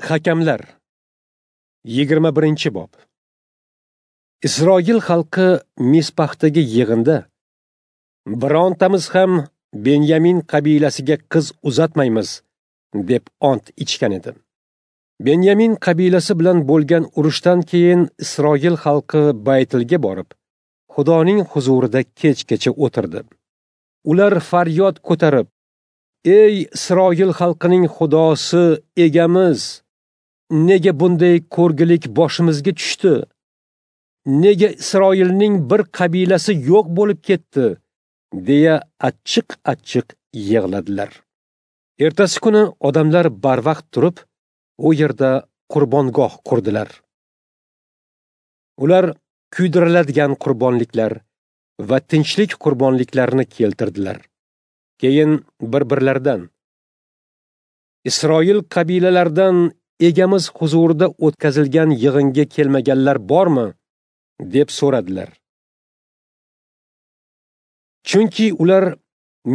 Hakamlar 21-bob. Isroil xalqi Mispahdagi yig'inda birontamiz ham Benyamin qabilasiga qiz uzatmaymiz deb ont ichgan edi. Benyamin qabilasi bilan bo'lgan urushdan keyin Isroil xalqi Baytilga borib, Xudoning huzurida kechgacha o'tirdi. Ular faryod ko'tarib: "Ey Isroil xalqining Xudosi, egamiz, nega bunday ko'rgilik boshimizga tushdi? Nega Isroilning bir qabilasi yo'q bo'lib ketdi?" deya achchiq-achchiq yig'ladilar. Ertasi kuni odamlar barvaqt turib, u yerda qurbongoh qurdilar. Ular kuydiriladigan qurbonliklar va tinchlik qurbonliklarini keltirdilar. Keyin bir-birlaridan: "Isroil qabilalaridan egamiz huzurida o'tkazilgan yig'inga kelmaganlar bormi?" deb so'radilar. Chunki ular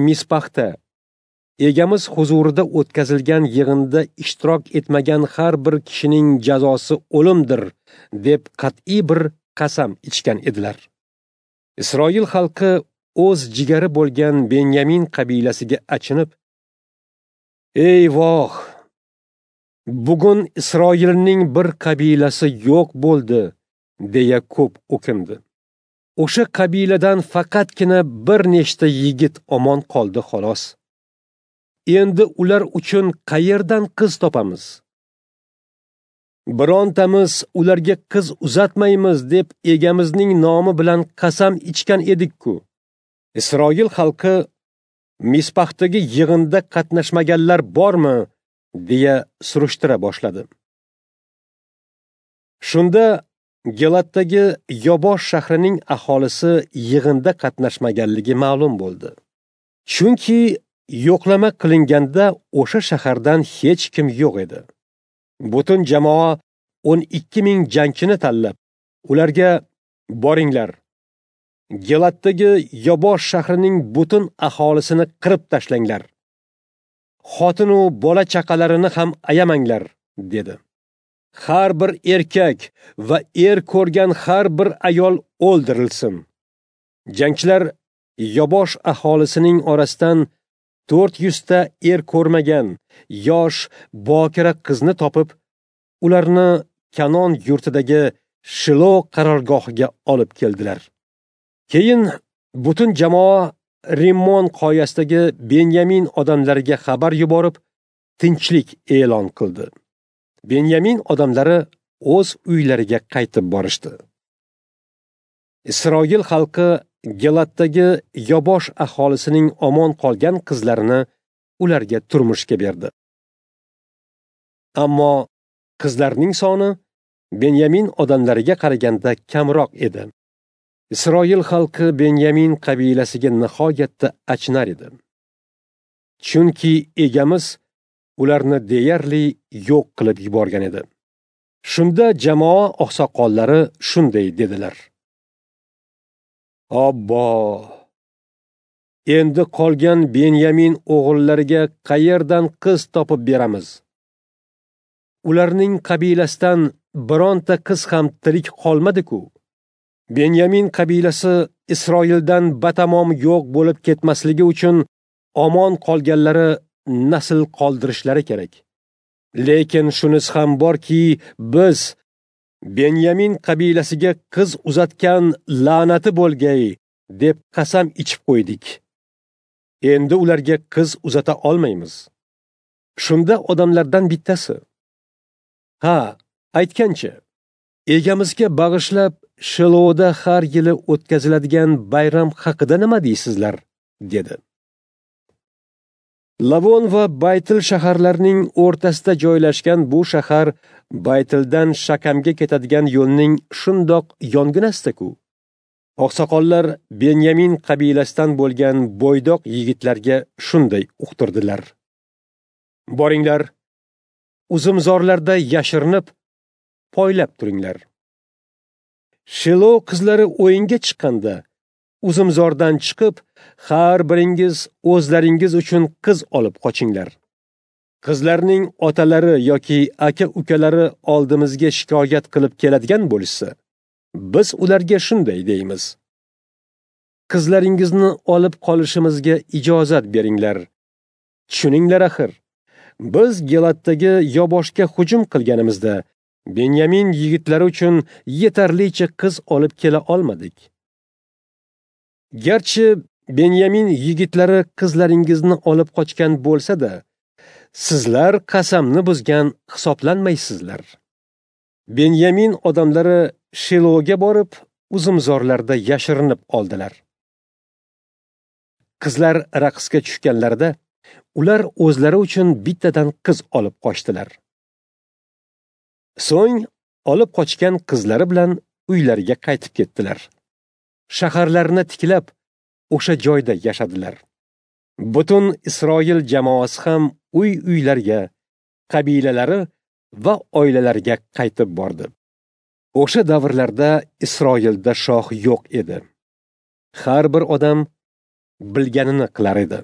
Mispaxda egamiz huzurida o'tkazilgan yig'inda ishtirok etmagan har bir kishining jazosi o'limdir deb qat'iy bir qasam ichgan edilar. Isroil xalqi o'z jigari bo'lgan Benyamin qabilasiga achinib: "Ey voh, bugun Isroilning bir qabilasi yo'q bo'ldi" deya ko'p o'kindi. O'sha qabiladan faqatgina bir nechta yigit omon qoldi xolos. Endi ular uchun qayerdan qiz topamiz? Birontamiz ularga qiz uzatmaymiz deb egamizning nomi bilan qasam ichgan edik-ku. Isroil xalqi Mispahdagi yig'inda qatnashmaganlar bormi deya surishtira boshladi. Shunda Gilatdagi Yobosh shahrining aholisi yig'inda qatnashmaganligi ma'lum bo'ldi. Chunki yo'qlama qilinganda o'sha shahardan hech kim yo'q edi. Butun jamoa 12 000 jangchini tanlab, ularga: "Boringlar, Gilatdagi Yobosh shahrining butun aholisini qirib tashlanglar. Xotin u bola chaqalarini ham ayamanglar" dedi. Har bir erkak va er ko'rgan har bir ayol o'ldirilsin. Jangchilar Yobosh aholisining orasidan 400 ta er ko'rmagan yosh bokira qizni topib, ularni Kanon yurtidagi Shilo qarorgohiga olib keldilar. Keyin butun jamoa Rimmon qoyasidagi Benyamin odamlariga xabar yuborib, tinchlik e'lon qildi. Benyamin odamlari o'z uylariga qaytib borishdi. Isroil xalqi Gilatdagi Yobosh aholisining omon qolgan qizlarini ularga turmushga berdi. Ammo qizlarning soni Benyamin odamlariga qaraganda kamroq edi. Isroil xalqi Benyamin qabilasiga nihoyatda achinar edi. Chunki egamiz ularni deyarli yo'q qilib yuborgan edi. Shunda jamoa oqsoqollari shunday dedilar: "Obbo, endi qolgan Benyamin o'g'illariga qayerdan qiz topib beramiz? Ularning qabilasidan bironta qiz ham tirik qolmadi-ku. Benyamin qabilasi Isroildan batamom yo'q bo'lib ketmasligi uchun omon qolganlari nasl qoldirishlari kerak. Lekin shunisi ham borki, biz Benyamin qabilasiga qiz uzatgan la'nati bo'lgay deb qasam ichib qo'ydik. Endi ularga qiz uzata olmaymiz." Shunda odamlardan bittasi: "Ha, aytgancha, egamizga bag'ishlab Shiloda har yili o'tkaziladigan bayram haqida nima deysizlar?" dedi. Lavon va Baytil shaharlarining o'rtasida joylashgan bu shahar Baytildan Shakamga ketadigan yo'lning shundoq yonginasida-ku. Oqsoqollar Benyamin qabilasidan bo'lgan bo'ydoq yigitlarga shunday uqtirdilar: "Boringlar, uzumzorlarda yashirinib, poylab turinglar. Shilo qizlari o'yinga chiqqanda uzumzordan chiqib, har biringiz o'zlaringiz uchun qiz olib qochinglar." Qizlarning otalari yoki aka-ukalari oldimizga shikoyat qilib keladigan bo'lishsa, biz ularga shunday deymiz: Qizlaringizni olib qolishimizga ijozat beringlar. Tushuninglar axir, biz Gilatdagi Yoboshga hujum qilganimizda Benyamin yigitlari uchun yetarlicha qiz olib kela olmadik. Garchi Benyamin yigitlari qizlaringizni olib qochgan bo'lsa-da, sizlar qasamni buzgan hisoblanmaysizlar. Benyamin odamlari Shiloga borib, uzumzorlarda yashirinib oldilar. Qizlar raqsga tushganlarida, ular o'zlari uchun bittadan qiz olib qochdilar. So'ng olib qochgan qizlari bilan uylariga qaytib ketdilar. Shaharlarini tiklab, o'sha joyda yashadilar. Butun Isroil jamoasi ham uy-uylariga, qabilalari va oilalariga qaytib bordi. O'sha davrlarda Isroilda shoh yo'q edi. Har bir odam bilganini qilar edi.